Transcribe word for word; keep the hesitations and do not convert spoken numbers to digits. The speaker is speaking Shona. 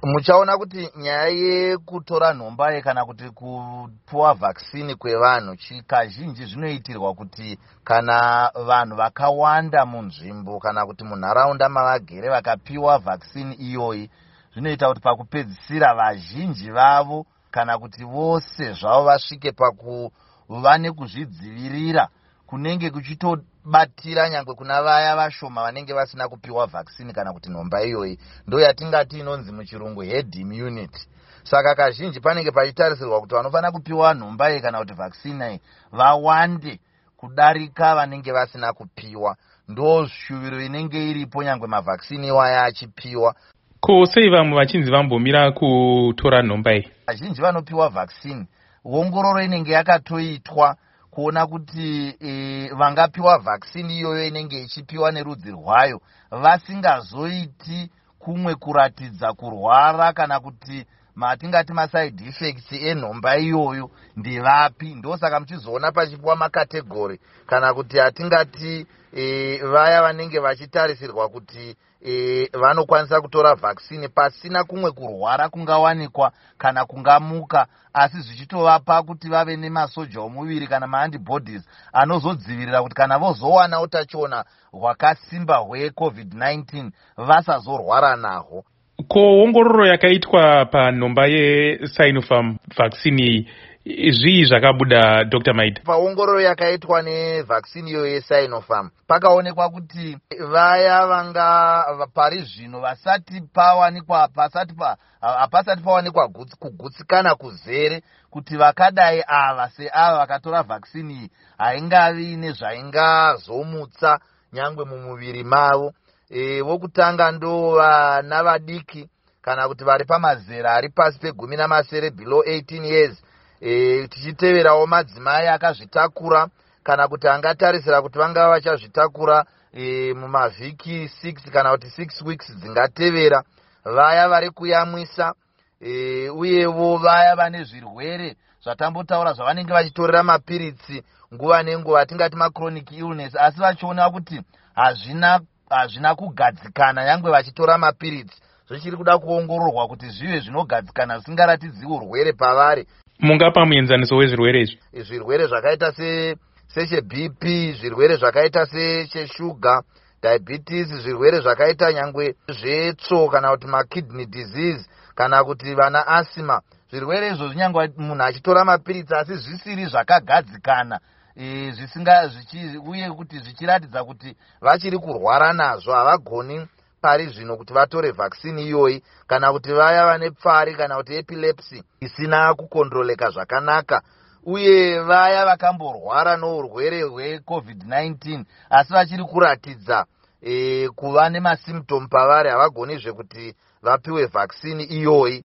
Muchaona kuti nyaya yekutora nhomba kana kuti kupuwa vaccine kwevanhu kazhinji zvinoitirwa kuti kana vanhu vakawanda munzvimbo kana kuti munharaunda mavagere vakapiwa vaccine iyoyi, zvinoita kuti pakupedzisira vazhinji vavo kana kuti vose zvavo vasvike pakuva nekuzvidzivirira kunenge kuchitobatira nyangwe kuna vaya vashoma vanenge vasina kupiwa vaccine kana kuti nhomba iyoyi. Ndo yatingati inonzi muchirungu herd immunity. Saka kazhinji panenge pachitarisirwa kuti vanofanira kupiwa nhomba iyi kana kuti vaccine iyi vawande kudarika vanenge vasina kupiwa. Ndo shuviro inenge iripo nyangwe mavaccine iwaya achipiwa. Ko sei vamwe vachinzi vambomira kutora nhomba iyi? Vazhinji vanopiwa vaccine, ongororo inenge yakatoitwa kuona kuti e, vangapiwa vaccine iyoyo inenge ichipiwa nerudzi rwayo vasingazoiti kumwe kuratidza kurwara kana kuti matingati maside effects enhomba iyoyo ndevapi. Ndosaka muchizoona pachipiwa macategory kana kuti hatingati e, vaya vanenge vachitarisirwa kuti e, vanokwanisa kutora vaccine pasina kumwe kurwara kungawanikwa kana kungamuka, asi zvichitovapa kuti vave nemasoja omuviri kana maantibodies anozodzivirira kuti kana vozowana utachiona hwakasimba hweCOVID nineteen vasazorwara nahwo. Ko ongororo yakaitwa panhomba yeSinopharm vaccine iyi, zvii zvakabuda, Doctor Maida? Paongororo yakaitwa nevaccine iyoyo yeSinopharm, pakaonekwa kuti vaya vanga pari zvino vasati pawanikwa pasati pa hapasati pawanikwa kugutsikana kuzere kuti vakadai ava seava vakatora vaccine iyi haingavi nezvaingazomutsa nyangwe mumuviri mavo. e, vokutanga ndo vana vadiki kana kuti vari pamazera ari pasi pegumi namasere, below eighteen years, e, tichiteverawo madzimai akazvitakura kana kuti angatarisira kuti vangava vachazvitakura e, mumavhiki six kana kuti six weeks dzingatevera, vaya vari kuyamwisa, e, uyevo vaya vane zvirwere zvatambotaura zvavanenge vachitorera mapiritsi nguva nenguva, tingati machronic illness, asi vachiona kuti hazvina hazvina kugadzikana nyangwe vachitora mapiritsi, zvichiri kuda kuongororwa kuti zvive zvinogadzikana zvisingaratidzi urwere pavari. Mungapa muenzaniso wezvirwere izvi? Zvirwere zvakaita secheB P, zvirwere zvakaita secheshuga, diabetes, zvirwere zvakaita nyangwe zvetsvo kana kuti makidney disease kana kuti vana asthma. Zvirwere izvozvi nyangwe munhu achitora mapiritsi asi zvisiri zvakagadzikana, e, zvisinga uye kuti zvichiratidza kuti vachiri kurwara nazvo, havagoni pari zvino kuti vatore vaccine iyoyi, kana kuti vaya vane pfari kana kuti epilepsy isina kucontroleka zvakanaka, uye vaya vakamborwara nourwere hweCOVID nineteen asi vachiri kuratidza e, kuva nemasymptom pavari, havagonizve kuti vapiwe vaccine iyoyi.